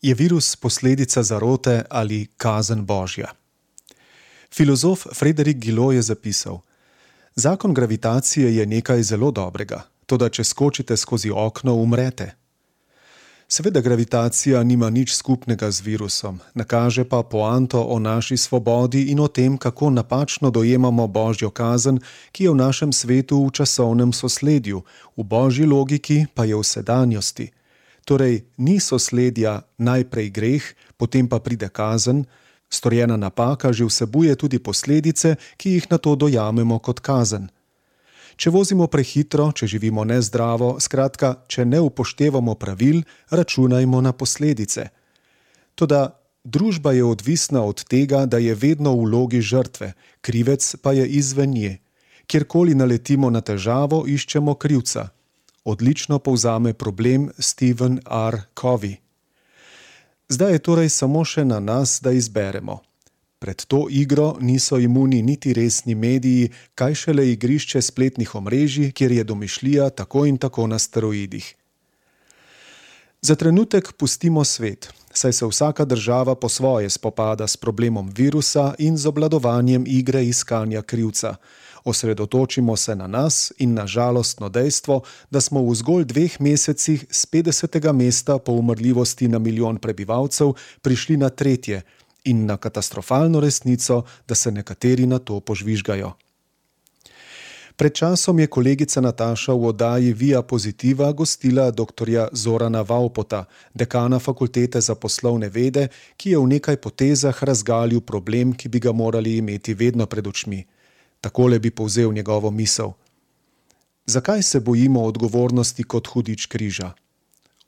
Je virus posledica zarote ali kazen Božja? Filozof Frédéric Gilot je zapisal: Zakon gravitacije je nekaj zelo dobrega, toda če skočite skozi okno, umrete. Seveda gravitacija nima nič skupnega z virusom, nakaže pa poanto o naši svobodi in o tem, kako napačno dojemamo Božjo kazen, ki je v našem svetu v časovnem sosledju, v Božji logiki pa je v sedanjosti. Torej, ni sosledja najprej greh, potem pa pride kazen, storjena napaka že vsebuje tudi posledice, ki jih nato dojamemo kot kazen. Če vozimo prehitro, če živimo nezdravo, skratka, če ne upoštevamo pravil, računajmo na posledice. Toda družba je odvisna od tega, da je vedno v vlogi žrtve, krivec pa je izven nje. Kjerkoli naletimo na težavo, iščemo krivca. Odlično povzame problem Stephen R. Covey. Zdaj je torej samo še na nas, da izberemo. Pred to igro niso imuni niti resni mediji, kaj šele igrišče spletnih omrežij, kjer je domišljija tako in tako na steroidih. Za trenutek pustimo svet, saj se vsaka država po svoje spopada s problemom virusa in z obvladovanjem igre iskanja krivca. Osredotočimo se na nas in na žalostno dejstvo, da smo v zgolj 2 mesecih z 50. mesta po umrljivosti na milijon prebivalcev prišli na 3. in na katastrofalno resnico, da se nekateri na to požvižgajo. Pred časom je kolegica Nataša v oddaji Via Positiva gostila dr. Zorana Vaupota, dekana Fakultete za poslovne vede, ki je v nekaj potezah razgalil problem, ki bi ga morali imeti vedno pred očmi. Takole bi povzel njegovo misel. Zakaj se bojimo odgovornosti kot hudič križa?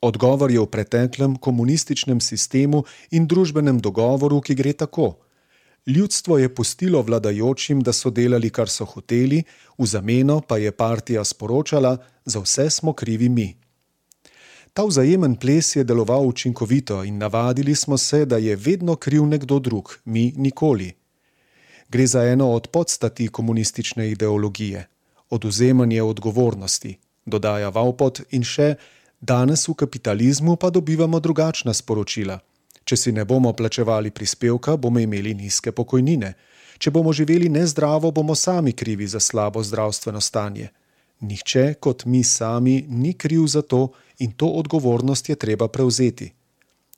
Odgovor je v preteklem komunističnem sistemu in družbenem dogovoru, ki gre tako. Ljudstvo je pustilo vladajočim, da so delali, kar so hoteli, v zameno pa je partija sporočala, za vse smo krivi mi. Ta vzajemen ples je deloval učinkovito in navadili smo se, da je vedno kriv nekdo drug, mi nikoli. Gre za eno od podstati komunistične ideologije. Odvzemanje odgovornosti, dodaja Vaupot in še, danes v kapitalizmu pa dobivamo drugačna sporočila. Če si ne bomo plačevali prispevka, bomo imeli nizke pokojnine. Če bomo živeli nezdravo, bomo sami krivi za slabo zdravstveno stanje. Nihče kot mi sami ni kriv za to in to odgovornost je treba prevzeti.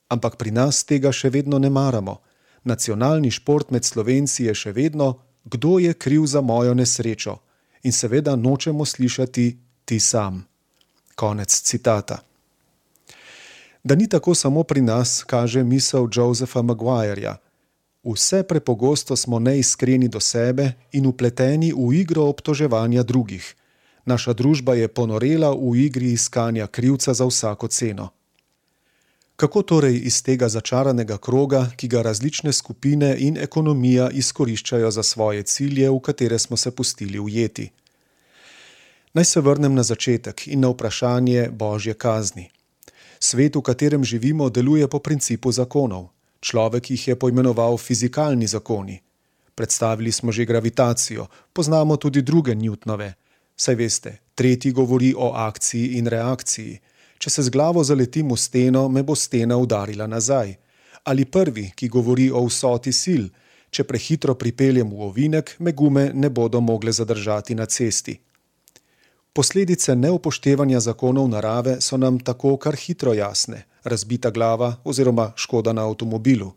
Ampak pri nas tega še vedno ne maramo. Nacionalni šport med Slovenci je še vedno, kdo je kriv za mojo nesrečo. In seveda nočemo slišati ti sam. Konec citata. Da ni tako samo pri nas, kaže misel Josepha Maguireja. Vse prepogosto smo neiskreni do sebe in vpleteni v igro obtoževanja drugih. Naša družba je ponorela v igri iskanja krivca za vsako ceno. Kako torej iz tega začaranega kroga, ki ga različne skupine in ekonomija izkoriščajo za svoje cilje, v katere smo se pustili ujeti? Naj se vrnem na začetek in na vprašanje Božje kazni. Svet, v katerem živimo, deluje po principu zakonov. Človek jih je poimenoval fizikalni zakoni. Predstavili smo že gravitacijo, poznamo tudi druge Newtonove. Saj veste, tretji govori o akciji in reakciji. Če se z glavo zaletim v steno, me bo stena udarila nazaj. Ali prvi, ki govori o vsoti sil. Če prehitro pripeljem v ovinek, me gume ne bodo mogle zadržati na cesti. Posledice neupoštevanja zakonov narave so nam tako kar hitro jasne, razbita glava oziroma škoda na avtomobilu.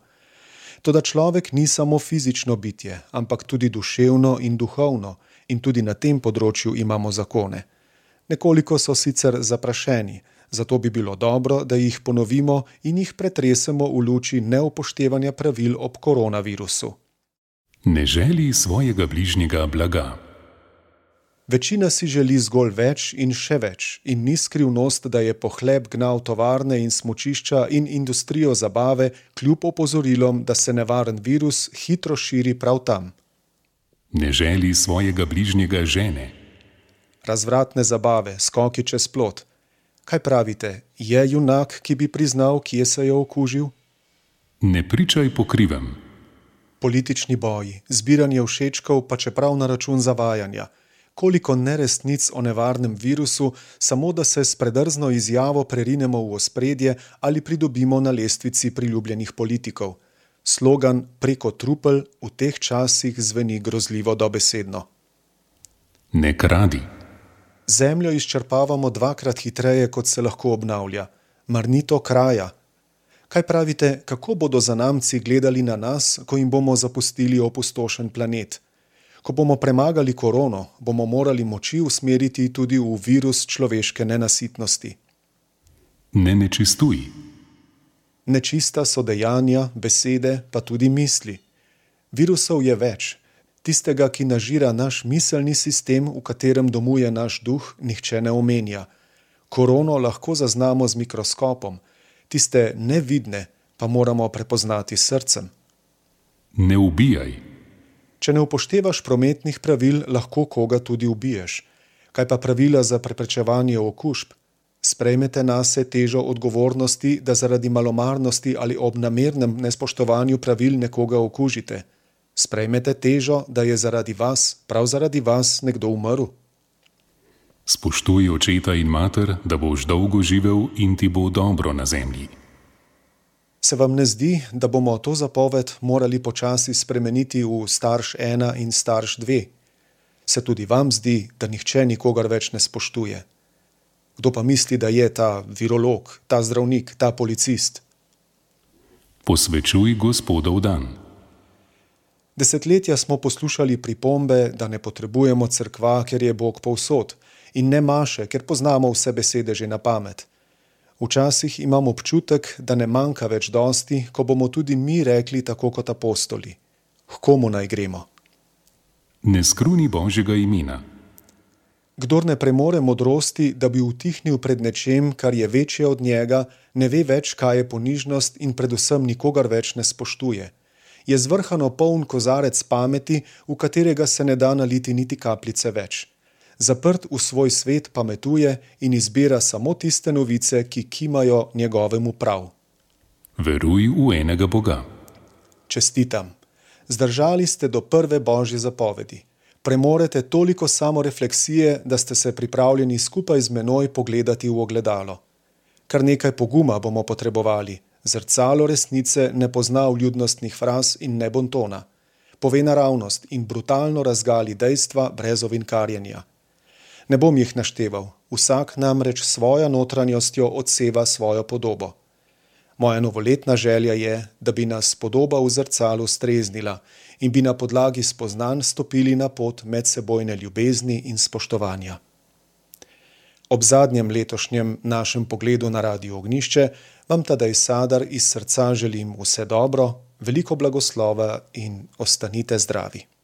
Toda človek ni samo fizično bitje, ampak tudi duševno in duhovno, in tudi na tem področju imamo zakone. Nekoliko so sicer zaprašeni, zato bi bilo dobro, da jih ponovimo in jih pretresemo v luči neupoštevanja pravil ob koronavirusu. Ne želi svojega bližnjega blaga. Večina si želi zgolj več in še več in ni skrivnost, da je pohlep gnal tovarne in smučišča in industrijo zabave kljub opozorilom, da se nevaren virus hitro širi prav tam. Ne želi svojega bližnjega žene. Razvratne zabave, skoki čez plot. Kaj pravite, je junak, ki bi priznal, kje se je okužil? Ne pričaj po krivem. Politični boji, zbiranje všečkov, pa čeprav na račun zavajanja. koliko neresnic o nevarnem virusu, samo da se s predrzno izjavo prerinemo v ospredje ali pridobimo na lestvici priljubljenih politikov. Slogan preko trupel v teh časih zveni grozljivo dobesedno. Ne kradi. Zemljo izčrpavamo 2-krat hitreje, kot se lahko obnavlja. Mar ni to kraja? Kaj pravite, kako bodo zanamci gledali na nas, ko jim bomo zapustili opustošen planet? Ko bomo premagali korono, bomo morali moči usmeriti tudi v virus človeške nenasitnosti. Ne nečistuj. Nečista so dejanja, besede, pa tudi misli. Virusov je več. Tistega, ki nažira naš miselni sistem, v katerem domuje naš duh, nihče ne omenja. Korono lahko zaznamo z mikroskopom. Tiste nevidne pa moramo prepoznati s srcem. Ne ubijaj. Če ne upoštevaš prometnih pravil, lahko koga tudi ubiješ. Kaj pa pravila za preprečevanje okužb? Sprejmete nase težo odgovornosti, da zaradi malomarnosti ali ob namernem nespoštovanju pravil nekoga okužite. Sprejmete težo, da je zaradi vas, prav zaradi vas, nekdo umrl. Spoštuj očeta in mater, da boš dolgo živel in ti bo dobro na zemlji. Se vam ne zdi, da bomo to zapoved morali počasi spremeniti v starš 1 in starš 2? Se tudi vam zdi, da nihče nikogar več ne spoštuje? Kdo pa misli, da je ta virolog, ta zdravnik, ta policist? Posvečuj Gospodov dan. Desetletja smo poslušali pripombe, da ne potrebujemo cerkva, ker je Bog povsod, in ne maše, ker poznamo vse besede že na pamet. Včasih imam občutek, da ne manjka več dosti, ko bomo tudi mi rekli tako kot apostoli. H komu naj gremo? Ne skruni Božjega imena. Kdor ne premore modrosti, da bi utihnil pred nečem, kar je večje od njega, ne ve več, kaj je ponižnost in predvsem nikogar več ne spoštuje. Je zvrhano poln kozarec pameti, v katerega se ne da naliti niti kapljice več. Zaprt v svoj svet pametuje in izbira samo tiste novice, ki kimajo njegovemu prav. Veruj v enega Boga. Čestitam. Zdržali ste do prve Božje zapovedi. Premorete toliko samorefleksije, da ste se pripravljeni skupaj z menoj pogledati v ogledalo. Kar nekaj poguma bomo potrebovali. Zrcalo resnice ne pozna vljudnostnih fraz in ne bontona. Pove naravnost in brutalno razgali dejstva brez ovinkarjenja. Ne bom jih našteval, vsak namreč svojo notranjostjo odseva svojo podobo. Moja novoletna želja je, da bi nas podoba v zrcalu streznila in bi na podlagi spoznanj stopili na pot medsebojne ljubezni in spoštovanja. Ob zadnjem letošnjem našem pogledu na Radio Ognjišče vam Tadej Sadar iz srca želim vse dobro, veliko blagoslova in ostanite zdravi.